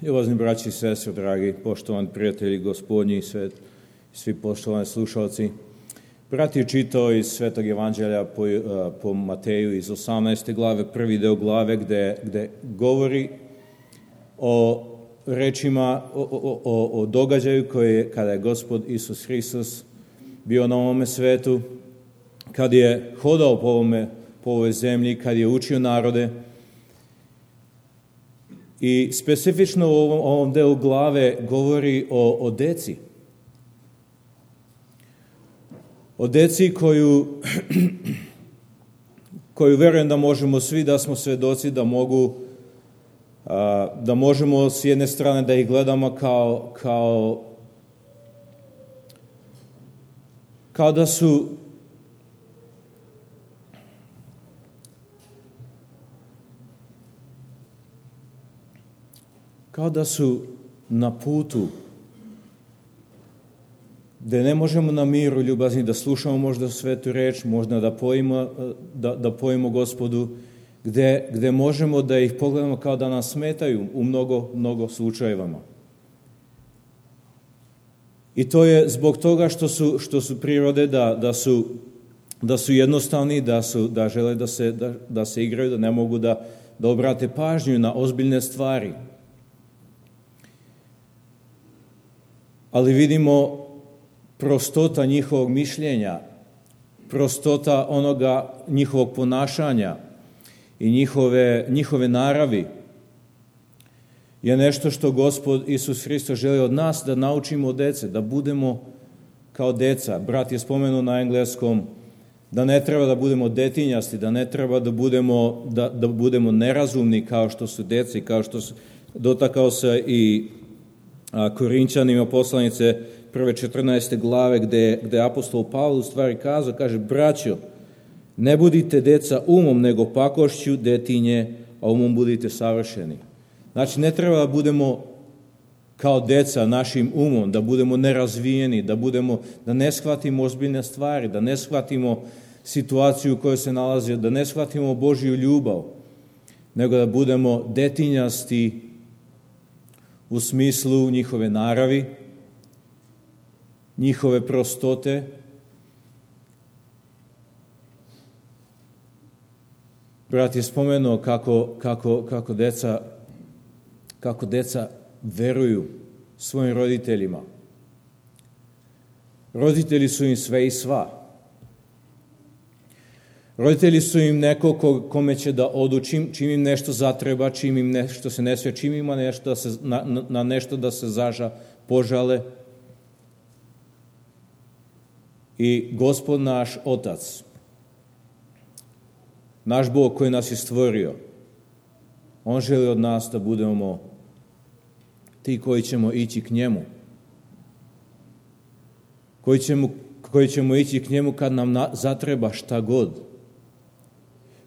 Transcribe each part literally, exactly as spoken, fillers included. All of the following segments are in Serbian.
Ljubazni braći i sestre, dragi poštovani prijatelji Gospodnji i sve, svi poštovani slušalci. Brat je čitao iz Svetog Evanđelja po, po Mateju iz osamnaeste glave, prvi deo glave gde, gde govori o rečima, o, o, o, o događaju koje kada je Gospod Isus Hristos bio na ovome svetu, kad je hodao po, ovome, po ovoj zemlji, kad je učio narode. I specifično u ovom, ovom delu glave govori o, o deci. O deci koju, koju verujem da možemo svi, da smo svedoci, da mogu, a, da možemo s jedne strane da ih gledamo kao, kao, kao da su kao da su na putu gde ne možemo na miru ljubazni da slušamo možda svetu reč, možda da pojimo, da, da pojimo Gospodu, gde, gde možemo da ih pogledamo kao da nas smetaju u mnogo, mnogo slučajevama. I to je zbog toga što su, što su prirode, da, da, su, da su jednostavni, da, su, da žele da se, da, da se igraju, da ne mogu da, da obrate pažnju na ozbiljne stvari. Ali vidimo prostota njihovog mišljenja, prostota onoga njihovog ponašanja i njihove, njihove naravi je nešto što Gospod Isus Hristos želi od nas da naučimo od dece, da budemo kao deca. Brat je spomenuo na engleskom da ne treba da budemo detinjasti, da ne treba da budemo, da, da budemo nerazumni kao što su deci, kao što su, dotakao se i a, Korinćanima poslanice prve četrnaeste glave gde, gde apostol Pavle u stvari kazao, kaže, braćo, ne budite deca umom, nego pakošću detinje, a umom budite savršeni. Znači, ne treba da budemo kao deca našim umom, da budemo nerazvijeni, da, budemo, da ne shvatimo ozbiljne stvari, da ne shvatimo situaciju u kojoj se nalazi, da ne shvatimo Božju ljubav, nego da budemo detinjasti u smislu njihove naravi, njihove prostote, brat je spomenuo kako, kako, kako, deca, kako deca veruju svojim roditeljima. Roditelji su im sve i sva. Roditelji su im neko ko, kome će da odu čim, čim im nešto zatreba, čim im nešto se ne sve, čim ima nešto da se, na, na nešto da se zaža, požale. I Gospod naš Otac, naš Bog koji nas je stvorio, On želi od nas da budemo ti koji ćemo ići k njemu, koji ćemo, koji ćemo ići k njemu kad nam na, zatreba šta god,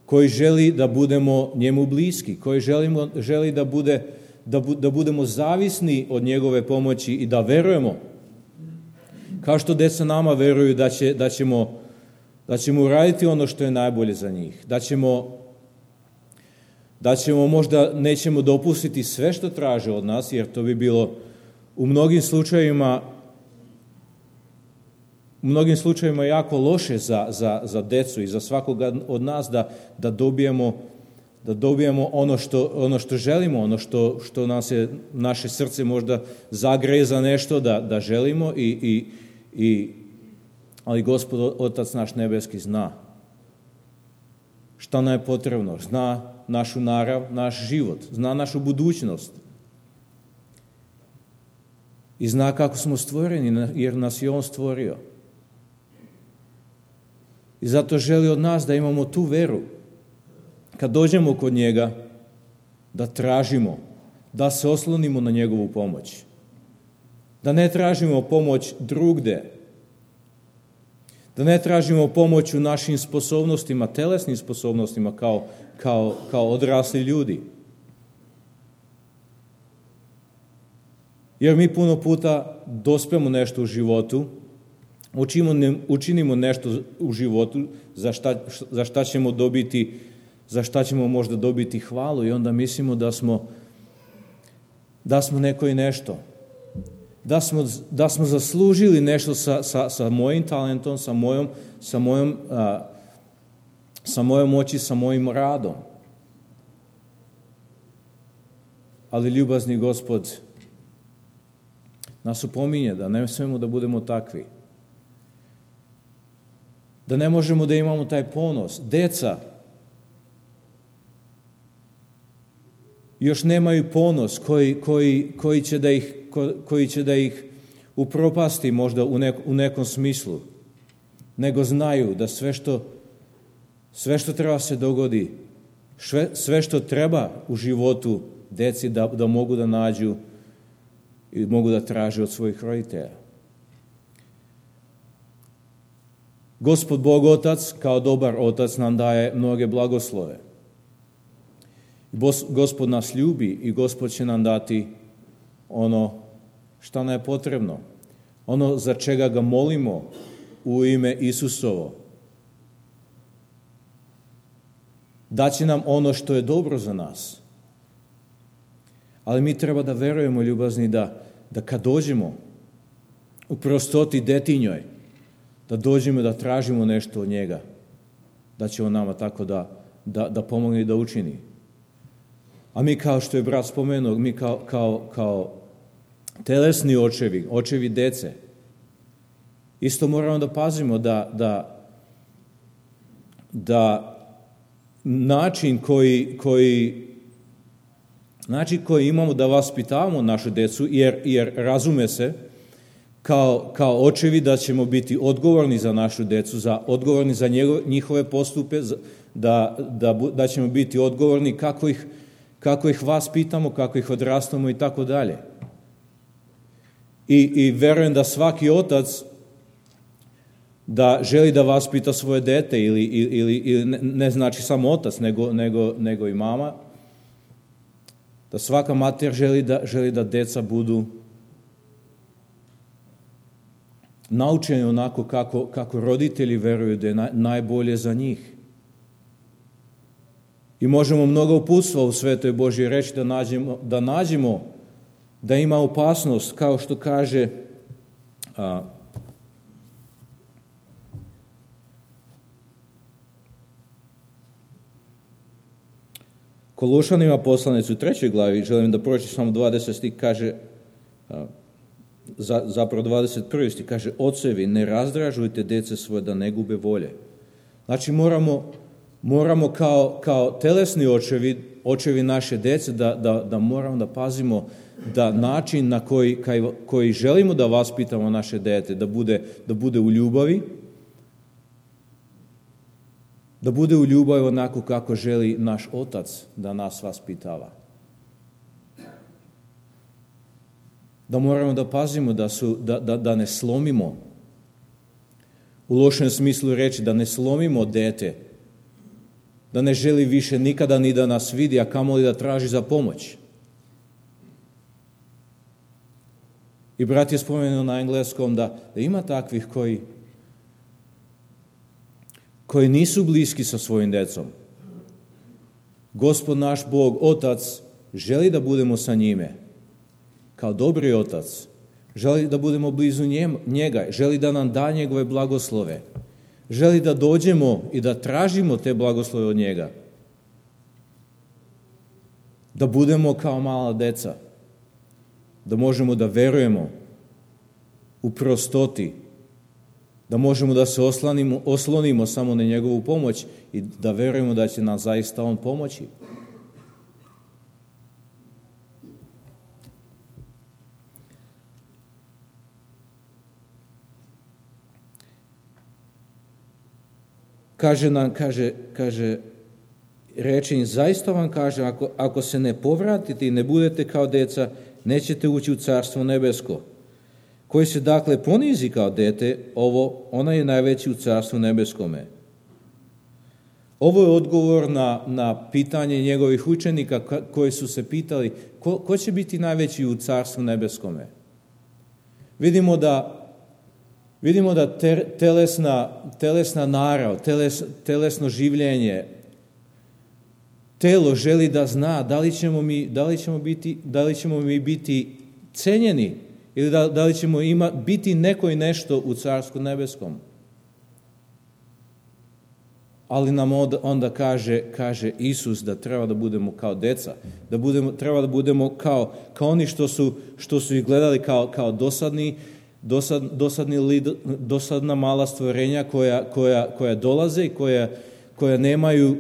koji želi da budemo njemu bliski, koji želimo, želi da, bude, da, bu, da budemo zavisni od njegove pomoći i da verujemo, kao što deca nama veruju da, će, da, ćemo, da ćemo uraditi ono što je najbolje za njih, da ćemo, da ćemo možda nećemo dopustiti sve što traže od nas, jer to bi bilo u mnogim slučajevima u mnogim slučajevima jako loše za, za, za decu i za svakoga od nas da, da dobijemo da dobijemo ono što, ono što želimo, ono što, što nas je, naše srce možda zagreje za nešto da, da želimo, i, i, i, ali Gospod Otac naš nebeski zna šta nam je potrebno, zna našu narav, naš život, zna našu budućnost i zna kako smo stvoreni, jer nas je On stvorio. I zato želi od nas da imamo tu veru. Kad dođemo kod njega, da tražimo, da se oslonimo na njegovu pomoć. Da ne tražimo pomoć drugde. Da ne tražimo pomoć u našim sposobnostima, telesnim sposobnostima kao, kao, kao odrasli ljudi. Jer mi puno puta dospemo nešto u životu, učinimo, učinimo nešto u životu za šta, za šta ćemo dobiti za šta ćemo možda dobiti hvalu i onda mislimo da smo, da smo neko i nešto. Da smo, da smo zaslužili nešto sa, sa, sa mojim talentom, sa mojom, sa mojom, a, sa mojom moći, sa mojim radom. Ali ljubazni Gospod nas upominje da ne smemo da budemo takvi. Da ne možemo da imamo taj ponos. Deca još nemaju ponos koji, koji, koji, će, da ih, koji će da ih upropasti možda u, nek, u nekom smislu. Nego znaju da sve što, sve što treba se dogodi, sve, sve što treba u životu deci da, da mogu da nađu i mogu da traže od svojih roditelja. Gospod Bog Otac, kao dobar Otac, nam daje mnoge blagoslove. Gospod nas ljubi i Gospod će nam dati ono što nam je potrebno. Ono za čega ga molimo u ime Isusovo. Daće nam ono što je dobro za nas. Ali mi treba da verujemo, ljubazni, da, da kad dođemo u prostoti detinjoj, da dođemo da tražimo nešto od njega, da će on nama tako da, da, da pomogne i da učini. A mi, kao što je brat spomenuo, mi kao, kao, kao telesni očevi, očevi dece, isto moramo da pazimo da, da, da način koji, koji, način koji imamo da vaspitavamo našu decu, jer, jer razume se, Kao, kao očevi da ćemo biti odgovorni za našu decu, za, odgovorni za njegove, njihove postupe, da, da, da ćemo biti odgovorni kako ih, kako ih vaspitamo, kako ih odrastamo i tako dalje. I, i verujem da svaki otac da želi da vaspita svoje dete ili, ili, ili ne, ne znači samo otac, nego, nego, nego i mama, da svaka mater želi da, želi da deca budu naučeni onako kako, kako roditelji veruju da je naj, najbolje za njih. I možemo mnogo uputstva u Svetoj Božjoj reči da nađemo, da nađemo da ima opasnost, kao što kaže a, Kološanima poslanicu u trećoj glavi, želim da pročitam samo dvadeset stih, kaže a, Za, zapravo dvadeset prvi stih kaže: ocevi, ne razdražujte dece svoje da ne gube volje. Znači moramo, moramo kao, kao telesni očevi, očevi naše dece, da, da, da moramo da pazimo da način na koji, kaj, koji želimo da vaspitamo naše dete, da bude, da bude u ljubavi, da bude u ljubavi onako kako želi naš Otac da nas vaspitava. Da moramo da pazimo da, su, da, da, da ne slomimo, u lošem smislu reći, da ne slomimo dete, da ne želi više nikada ni da nas vidi, a kamoli da traži za pomoć. I brat je spomenuo na engleskom da, da ima takvih koji, koji nisu bliski sa svojim decom. Gospod naš Bog, Otac, želi da budemo sa njime. Kao dobri Otac, želi da budemo blizu njega, želi da nam da njegove blagoslove, želi da dođemo i da tražimo te blagoslove od njega, da budemo kao mala deca, da možemo da verujemo u prostoti, da možemo da se oslonimo, oslonimo samo na njegovu pomoć i da verujemo da će nam zaista on pomoći. Kaže nam, kaže, kaže, rečenje, zaista vam kaže, ako, ako se ne povratite i ne budete kao deca, nećete ući u Carstvo nebesko. Koji se dakle ponizi kao dete, ovo, ona je najveći u Carstvu nebeskome. Ovo je odgovor na, na pitanje njegovih učenika koji su se pitali ko, ko će biti najveći u Carstvu nebeskome. Vidimo da Vidimo da telesna, telesna narav, teles, telesno življenje telo želi da zna da li ćemo mi, da li ćemo biti, da li ćemo mi biti cenjeni ili da, da li ćemo ima, biti neko i nešto u Carstvu nebeskom. Ali nam onda, onda kaže, kaže Isus da treba da budemo kao deca, da budemo, treba da budemo kao, kao oni što su, što su ih gledali kao, kao dosadni, dosad, dosadni, dosadna mala stvorenja koja, koja, koja dolaze i koja, koja nemaju,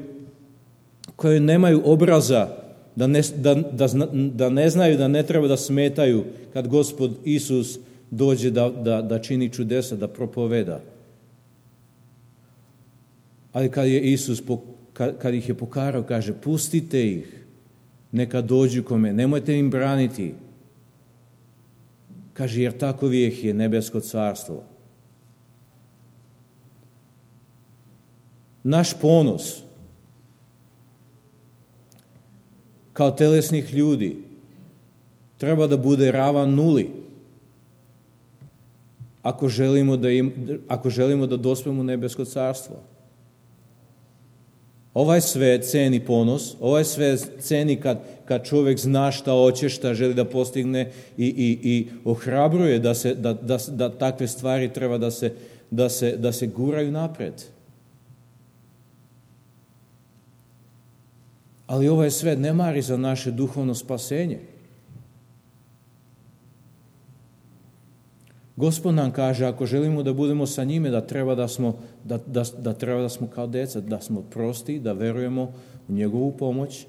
koje nemaju obraza, da ne, da, da, da ne znaju da ne treba da smetaju kad Gospod Isus dođe da, da, da čini čudesa, da propoveda. Ali kad je Isus, kad, kad ih je pokarao, kaže, pustite ih, neka dođu kome, nemojte im braniti. Kaže, jer tako ih je nebesko carstvo. Naš ponos kao telesnih ljudi treba da bude ravan nuli ako želimo da, im, ako želimo da dospemo u nebesko carstvo. Ovaj svet ceni ponos, ovaj svet ceni kad, kad čovjek zna šta hoće, šta želi da postigne i, i, i ohrabruje da, se, da, da, da takve stvari treba da se, da se, da se guraju napred. Ali ovaj svet ne mari za naše duhovno spasenje. Gospod nam kaže, ako želimo da budemo sa njime, da treba da smo, da, da, da treba da smo kao deca, da smo prosti, da verujemo u njegovu pomoć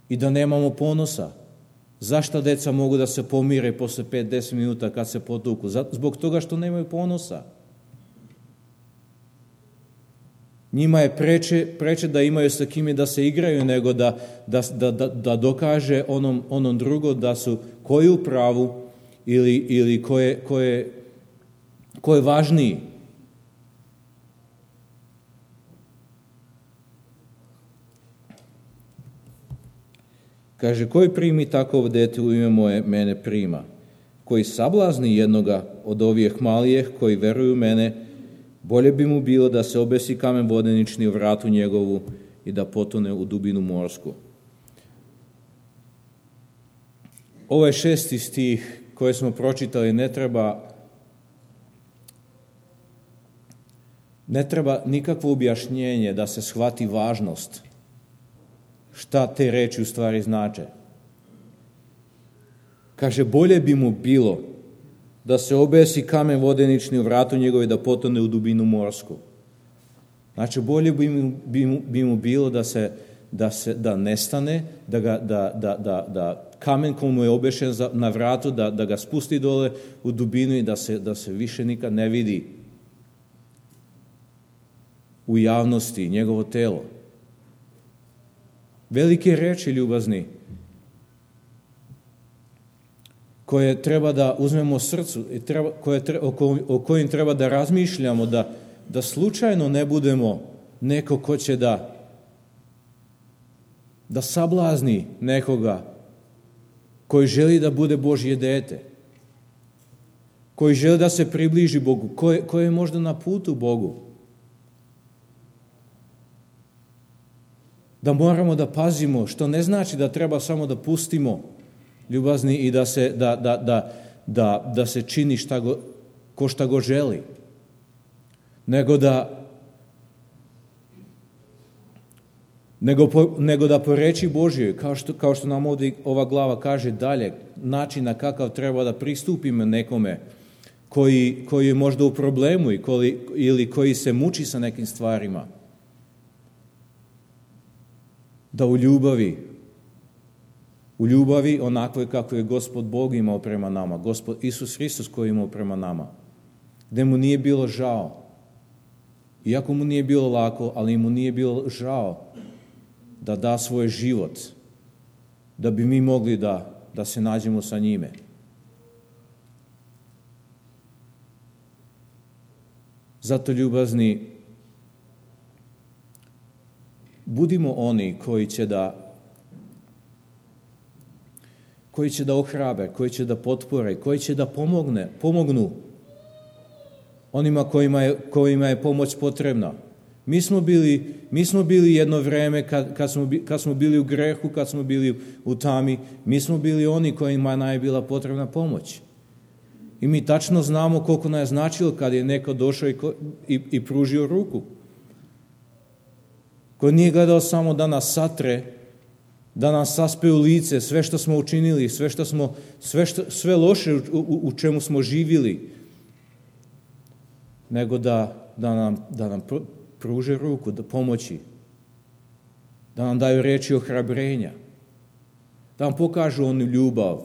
i da nemamo ponosa. Zašto deca mogu da se pomire posle pet do deset minuta kad se potuku? Zbog toga što nemaju ponosa. Njima je preče, preče da imaju sa kime da se igraju nego da, da, da, da dokaže onom, onom drugo da su koji u pravu ili, ili ko je, ko je, ko je važniji. Kaže, koji primi takovo dete u ime moje, mene prima. Koji sablazni jednoga od ovih malijeh koji veruju mene, bolje bi mu bilo da se obesi kamen vodenični u vratu njegovu i da potone u dubinu morsku. Ovo je šesti stih koje smo pročitali, ne treba, ne treba nikakvo objašnjenje da se shvati važnost šta te reči u stvari znače. Kaže, bolje bi mu bilo da se obesi kamen vodenični u vratu njegove da potone u dubinu morsku. Znači, bolje bi mu, bi mu, bi mu bilo da se, da se da nestane, da, ga, da, da, da, da kamen koji mu je obešen za, na vratu, da, da ga spusti dole u dubinu i da se, da se više nikad ne vidi u javnosti njegovo telo. Velike reči, ljubazni, koje treba da uzmemo srcu, treba, koje, o, o kojim treba da razmišljamo, da, da slučajno ne budemo neko ko će da, da sablazni nekoga koji želi da bude Božje dete, koji želi da se približi Bogu, koji, koji je možda na putu Bogu. Da moramo da pazimo, što ne znači da treba samo da pustimo ljubazni i da se, da, da, da, da, da se čini šta go, ko šta go želi, nego da nego, po, nego da po reči Božjoj, kao što, kao što nam ovdje ova glava kaže dalje, način na kakav treba da pristupimo nekome koji, koji je možda u problemu i koji, ili koji se muči sa nekim stvarima, da u ljubavi U ljubavi onakvoj kako je Gospod Bog imao prema nama, Gospod Isus Hristos koji je imao prema nama, gde mu nije bilo žao. Iako mu nije bilo lako, ali mu nije bilo žao da da svoj život, da bi mi mogli da, da se nađemo sa njime. Zato, ljubazni, budimo oni koji će da koji će da ohrabe, koji će da potpore, koji će da pomogne, pomognu onima kojima je, kojima je pomoć potrebna. Mi smo bili, mi smo bili jedno vreme kad, kad, smo, kad smo bili u grehu, kad smo bili u tami, mi smo bili oni kojima je bila potrebna pomoć. I mi tačno znamo koliko nam je značilo kad je neko došao i, i, i pružio ruku. Ko nije gledao samo da nas satre, da nas saspe u lice, sve što smo učinili, sve, što smo, sve, što, sve loše u, u, u čemu smo živjeli, nego da, da nam, da nam pruže ruku, da pomoći, da nam daju riječi ohrabrenja, da nam pokažu onu ljubav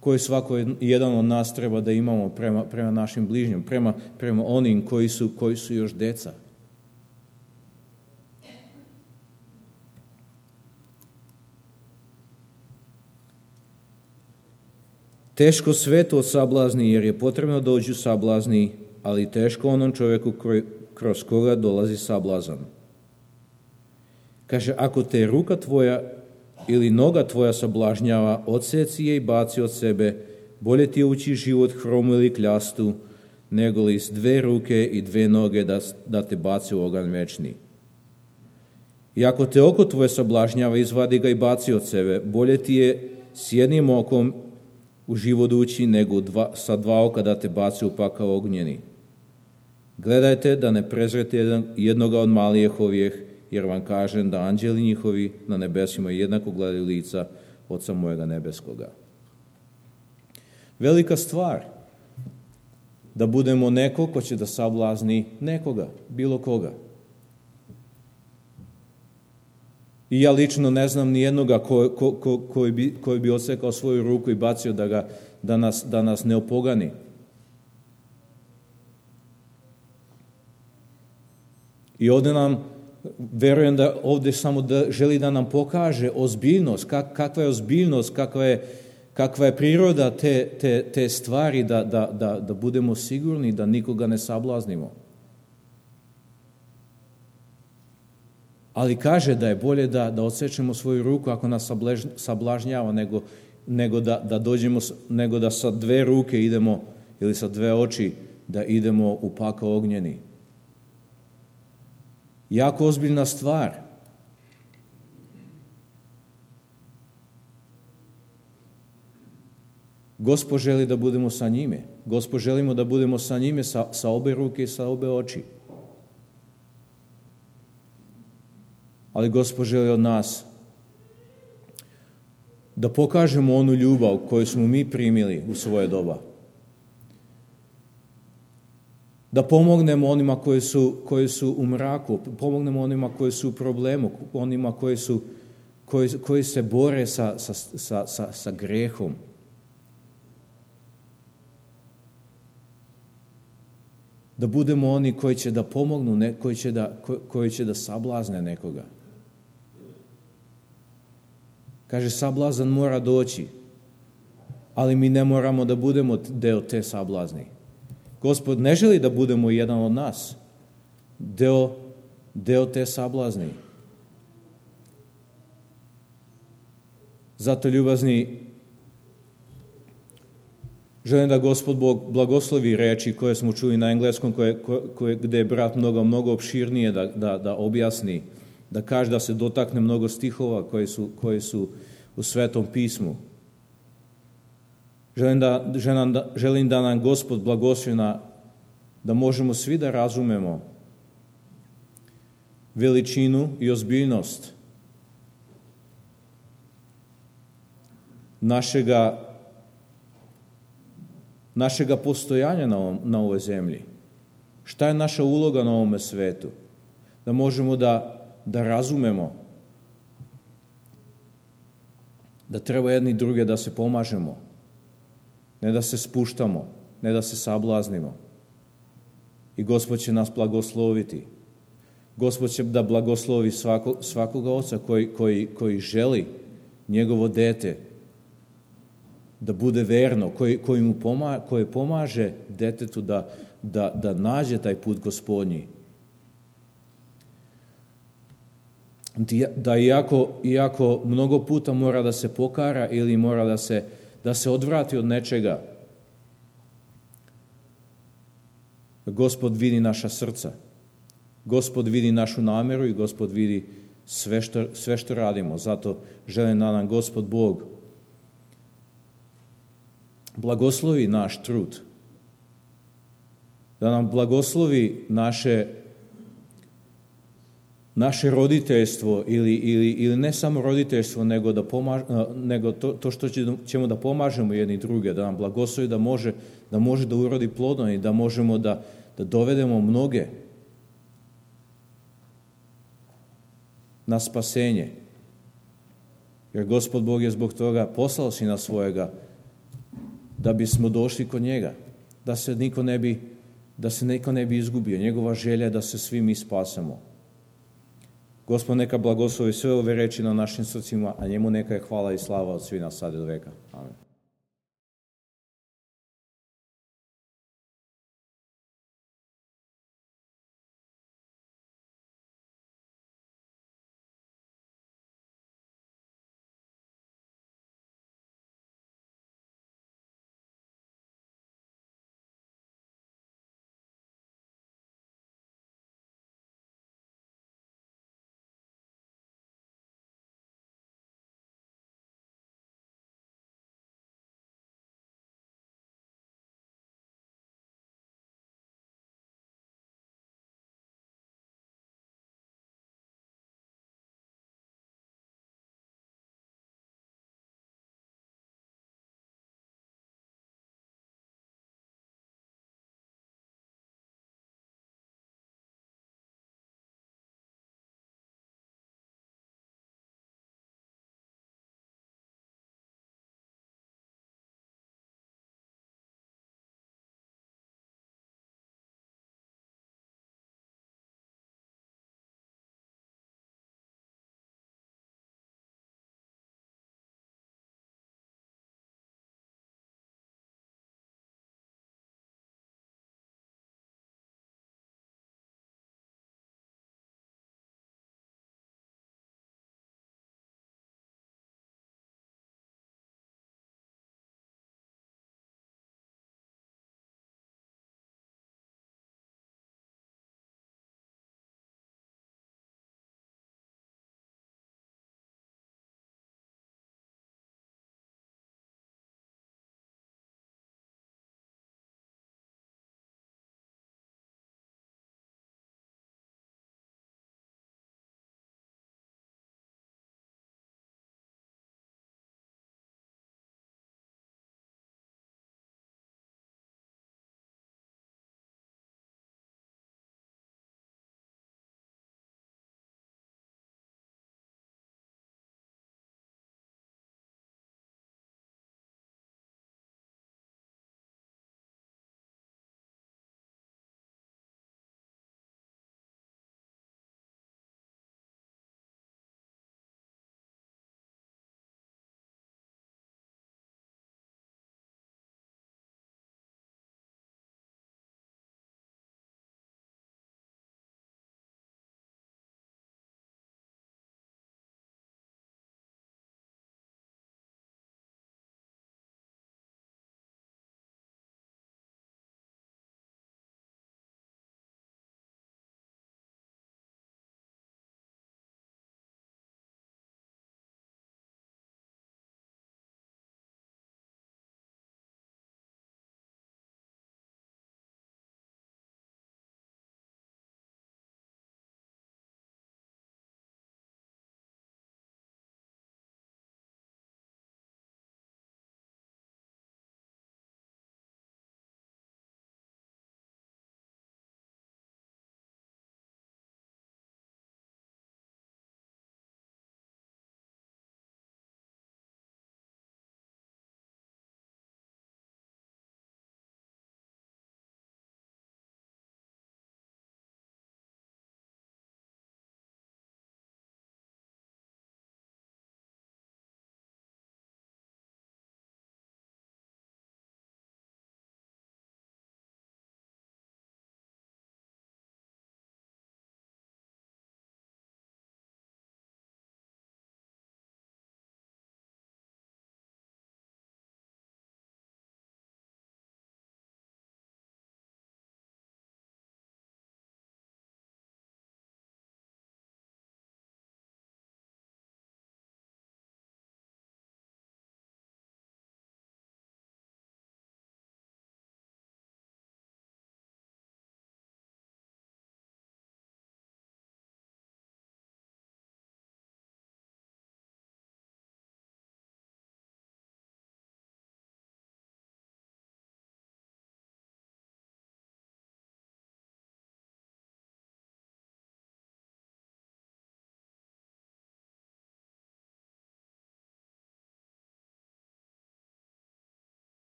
koju svako jedan od nas treba da imamo prema, prema našim bližnjim, prema, prema onim koji su, koji su još deca. Teško sveto od sablazni, jer je potrebno dođu sablazni, ali teško onom čovjeku koji, kroz koga dolazi sablazan. Kaže, ako te ruka tvoja ili noga tvoja sablažnjava, odseci je i baci od sebe, bolje ti je ući život hromu ili kljastu, nego li s dve ruke i dve noge da, da te baci u oganj večni. I ako te oko tvoje sablažnjava, izvadi ga i baci od sebe, bolje ti je s jednim okom u život ući, nego dva, sa dva oka da te baci u pakao ognjeni. Gledajte da ne prezrete jedan, jednoga od malijeh ovih, jer vam kažem da anđeli njihovi na nebesima jednako gledaju lica Oca mojega nebeskoga. Velika stvar da budemo neko ko će da sablazni nekoga, bilo koga. I ja lično ne znam ni jednoga ko, ko, ko, koji, bi, koji bi odsekao svoju ruku i bacio da, ga, da, nas, da nas ne opogani. I ovdje nam, verujem da ovdje samo da želi da nam pokaže ozbiljnost, kak, kakva je ozbiljnost, kakva je, kakva je priroda te, te, te stvari, da, da, da, da budemo sigurni da nikoga ne sablaznimo. Ali kaže da je bolje da, da odsečemo svoju ruku ako nas sablež, sablažnjava, nego, nego, da, da dođemo, nego da sa dve ruke idemo, ili sa dve oči, da idemo u pakao ognjeni. Jako ozbiljna stvar. Gospod želi da budemo sa njime. Gospod želimo da budemo sa njime sa, sa obe ruke i sa obe oči. Ali Gospod želi od nas da pokažemo onu ljubav koju smo mi primili u svoje doba. Da pomognemo onima koji su, koji su u mraku, pomognemo onima koji su u problemu, onima koji, su, koji, koji se bore sa, sa, sa, sa, sa grehom. Da budemo oni koji će da pomognu, ne, koji, će da, koji će da sablazne nekoga. Kaže, sablazan mora doći, ali mi ne moramo da budemo deo te sablazni. Gospod ne želi da budemo jedan od nas, deo, deo te sablazni. Zato, ljubazni, želim da Gospod Bog blagoslovi reči koje smo čuli na engleskom, koje, koje, gde je brat mnogo, mnogo opširnije da, da, da objasni, da kaže, da se dotakne mnogo stihova koji su, koji su u Svetom pismu. Želim da, želim, da, želim da nam Gospod blagoslovi da možemo svi da razumemo veličinu i ozbiljnost našega, našega postojanja na, ovom, na ovoj zemlji. Šta je naša uloga na ovome svetu? Da možemo da, da razumemo da treba jedni druge da se pomažemo, ne da se spuštamo, ne da se sablaznimo. I Gospod će nas blagosloviti. Gospod će da blagoslovi svako, svakoga oca koji, koji, koji želi njegovo dete da bude verno, koji, koji mu pomaže, koji pomaže detetu da, da, da nađe taj put Gospodnji. Da iako, iako mnogo puta mora da se pokara ili mora da se, da se odvrati od nečega, Gospod vidi naša srca Gospod vidi našu namjeru i Gospod vidi sve što, sve što radimo. Zato želim da nam Gospod Bog blagoslovi naš trud. Da nam blagoslovi naše, naše roditeljstvo ili, ili, ili ne samo roditeljstvo, nego, da pomaž, nego to, to što ćemo da pomažemo jedni druge, da nam blagoslovi da može da, može da urodi plodom i da možemo da, da dovedemo mnoge na spasenje. Jer Gospod Bog je zbog toga poslao Sina svojega da bismo došli kod njega, da se niko ne bi, da se niko ne bi izgubio. Njegova želja je da se svi mi spasemo. Gospod neka blagoslovi sve ove reči na našim srcima, a njemu neka je hvala i slava od svih nas sad i do veka. Amen.